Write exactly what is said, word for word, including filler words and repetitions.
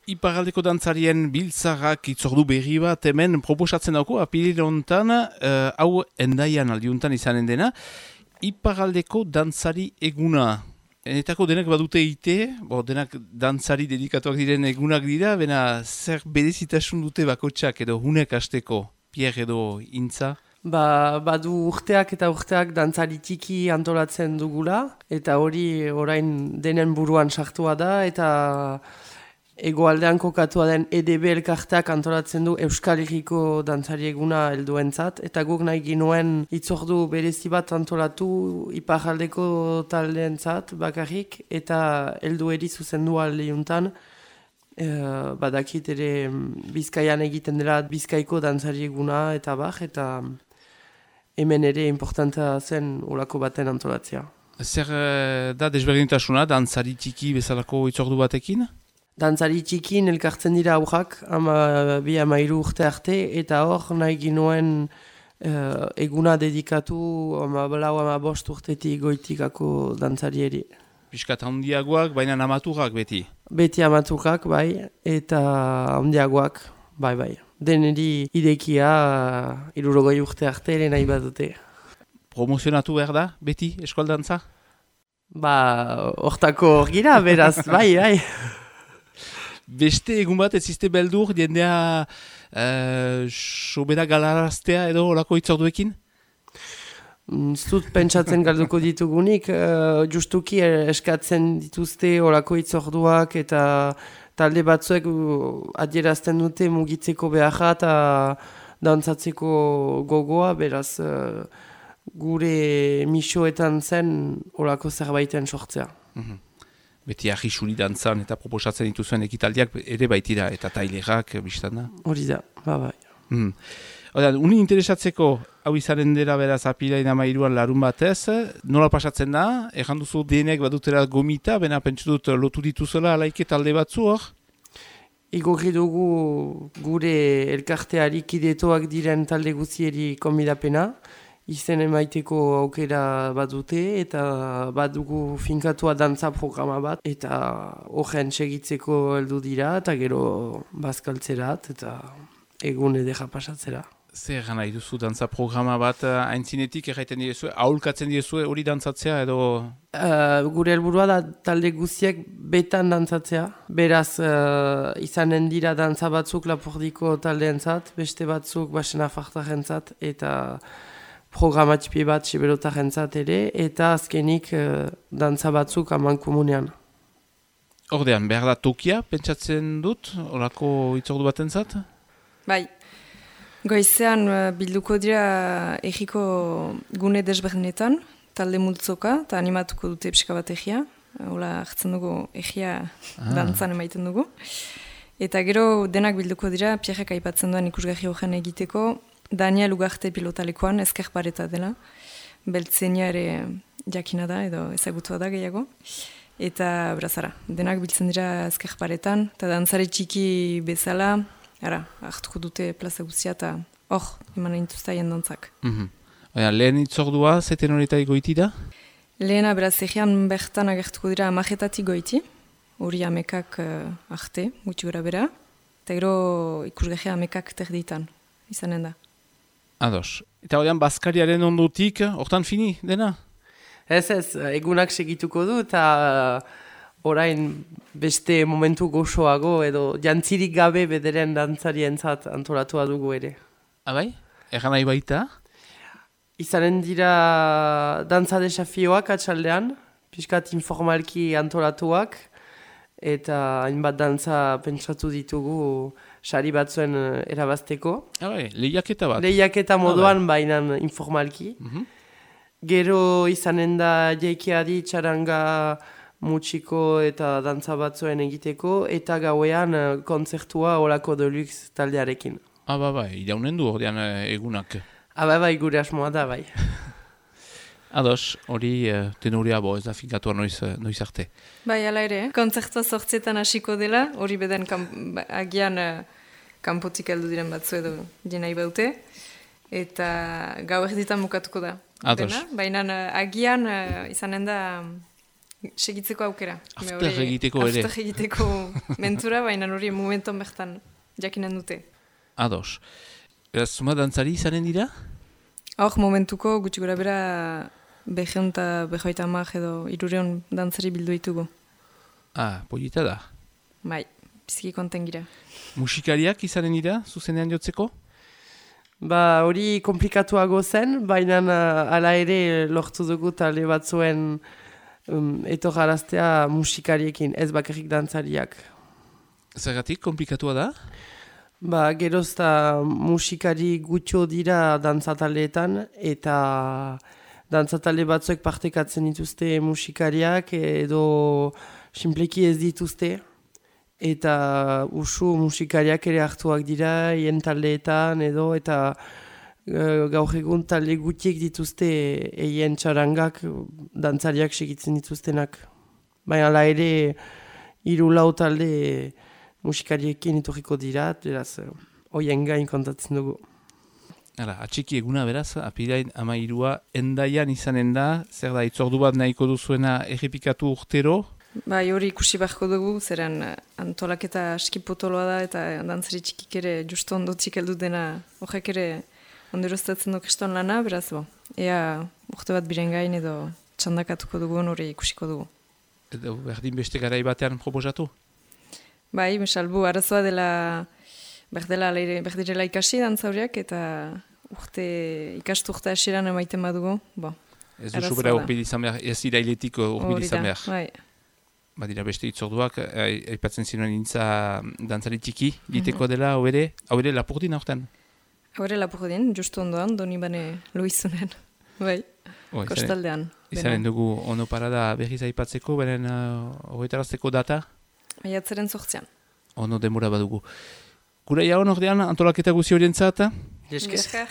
Iparraldeko dantzarien biltzarrak itzordu berri bat hemen proposatzen dauko, apiril hontan, uh, hau endaian aldiuntan izanen dena, Iparraldeko dantzari eguna. Enetako denak badute ite, bo, denak dantzari dedikatuak diren egunak dira, bena zer berezitasun dute bakotxak edo hunek hasteko, Pierre edo Intza? Ba, badu urteak eta urteak dantzari txiki antolatzen dugula, eta hori orain denen buruan sartua da, eta hegoaldean kokatua den E D B elkarteak antolatzen du Euskal Herriko dantzari eguna helduentzat, eta guk nahi ginuen hitzordu berezi bat antolatu iparraldeko taldeentzat bakarrik, eta heldueri zuzendu aldeuntan. Uh, badakit ere Bizkaian egiten dela Bizkaiko dantzari eguna eta bar, eta hemen ere importanta zen olako baten antolatzea. Zer da desberdintasuna dantzari txiki bezalako hitzordu batekin? Dantzari txikin elkartzen dira aurrak, ama bi amairu urte arte, eta hor nahi ginuen uh, eguna dedikatu ama blau ama bost urtetik goitikako dantzarieri. Piskat handiagoak, baina amaturak beti? Beti amaturak, bai, eta handiagoak, bai, bai. Deneri idekia uh, irurogoi urte arte ere nahi badute. Promozionatu behar da, beti, eskualdantza? Ba, hortako hor gira, beraz, bai, bai. Beste egun bat ez izte beldur, jendea uh, sobera galaraztea edo olako hitzorduekin? Zut pentsatzen galduko ditugunik, uh, justuki eskatzen dituzte olako hitzorduak eta talde batzuek adierazten dute mugitzeko beharra eta dantzatzeko gogoa, beraz uh, gure misoetan zen olako zerbaiten sortzea. Mm-hmm. Beti ahisuli dantzan eta proposatzen dituzuen ekitaldiak ere baitira eta tailerak biztan da? Hori da, ba bai. Mm. Oda, uni interesatzeko hau izanen dela beraz apilain amairuan larun batez, nola pasatzen da? Ejan duzu denek badutera gomita, bena pentsu dut lotu dituzela alaike talde batzu hor? Igorri dugu gure elkarteari kidetoak diren talde guzieri konbidapena, izen emaiteko aukera bat dute, eta badugu finkatua dantza programa bat, eta horren segitzeko heldu dira, eta gero bazkaltzerat, eta egun edera pasatzera. Zer gana iduzu dantza programa bat aintzinetik erraiten direzue, aholkatzen direzue hori dantzatzea edo? Uh, gure helburua da talde guziek betan dantzatzea, beraz uh, izanen dira dantza batzuk Lapordiko taldeentzat, beste batzuk Basena Fartarentzat, eta programatipie bat Siberotarentzat ere, eta azkenik uh, dantza batzuk aman komunean. Ordean, behar da tokia, pentsatzen dut, orako hitzordu batentzat? Bai, goizean uh, bilduko dira egiko gune desberdinetan, talde multzoka, eta animatuko dute pixka bat egia, hola hartzen dugu egia ah. dantzan emaiten dugu. Eta gero denak bilduko dira, Pierrek aipatzen duen ikusgarri horren egiteko, Daniel Ugarte pilotalekoan ezker pareta dela, beltzenia ere jakina da edo ezagutua da gehiago. Eta brazara, denak biltzen dira ezker paretan, eta dantzare txiki bezala, ara, hartuko dute plaza guztia eta hor, eman intuztaien dantzak. Mm-hmm. Oia, lehen itzordua, zeten horretai goiti da? Lehena beraz egean bertan agertuko dira amajetatik goiti, hori amekak uh, arte, gutxi gora bera, eta gero ikusgehea amekak terditan, izanen da. Ados. Eta horrean, Baskariaren ondotik, hortan fini, dena? Ez ez, egunak segituko du, eta orain beste momentu gozoago, edo jantzirik gabe bederen dantzarientzat antolatua dugu ere. Abai? Egan nahi baita? Izanen dira dantza desafioak atxaldean, pixkat informalki antolatuak, eta hainbat dantza pentsatu ditugu sari batzuen erabazteko. Abai, lehiaketa bat? Lehiaketa moduan bainan informalki. Mm-hmm. Gero izanen da jaikiadi txaranga mutxiko eta dantza batzuen egiteko, eta gauean kontzertua olako deluxe taldearekin. Ah, ba, bai, iraunen du ordean egunak. Ah, bai, bai, gure asmoa da, bai. Ados, hori uh, tenorea bo, ez da finkatua noiz, noiz arte. Bai, ala ere, kontzertua sortzetan hasiko dela, hori beden kamp- agian uh, kanpotik heldu diren batzu edo jenai baute, eta gau erditan bukatuko da. Ados. Baina uh, agian uh, izanen da segitzeko aukera. After egiteko ere. After egiteko mentura, baina hori momenton bertan jakinen dute. Ados. Eraz, zuma dantzari izanen dira? Hor, momentuko gutxi gora bera beheun eta behoita amak edo irureon dantzari bildu ditugu. Ah, polita da. Bai, biziki konten gira. Musikariak izanen dira, zuzenean jotzeko? Ba, hori komplikatuago zen, baina uh, ala ere lortu dugu talde batzuen um, etorraraztea musikariekin, ez bakarrik dantzariak. Zergatik, komplikatua da? Ba, gerozta musikari gutxo dira dantzataleetan, eta dantzatale batzuek partekatzen dituzte musikariak, edo sinpleki ez dituzte. Eta usu musikariak ere hartuak dira, hien taldeetan edo, eta e, gaur egun talde gutiek dituzte eien txarangak dantzariak segitzen dituztenak. Baina ala ere, hiru lau talde musikariekin iturriko dira, beraz, hoien gain kontatzen dugu. Hala, atxiki eguna beraz, apirain ama irua endaian izanen da, zer da, itzordu bat nahiko duzuena errepikatu urtero? Bai, hori ikusi beharko dugu, zeren antolaketa aski potoloa da, eta dantzari txikik ere justu ondo txikeldu dena horrek ere onderoztatzen duk eston lana, beraz, bo, ea urte bat biren gain edo txandakatuko dugun hori ikusiko dugu. Edo berdin beste garai batean proposatu? Bai, salbu, arazoa dela, berdela, berdirela ikasi dantzauriak, eta urte, ikastu urte hasieran emaiten badugu, bo. Ez duzu bera urbil izan behar, ez irailetik urbil izan behar. Bai. Badira beste itzorduak, aipatzen zinuen intza dantzari txiki, diteko dela, hau ere, hau ere Lapurdin aurten? Hau ere Lapurdin, justu ondoan, doni bane Luizunen, bai, oh, kostaldean. Izanen dugu ono parada berriz aipatzeko, beren horretarazteko data? Maiatzaren zortzean. Ono demora badugu. Gura jaun ordean, antolaketa guzi horientzat? Jesker.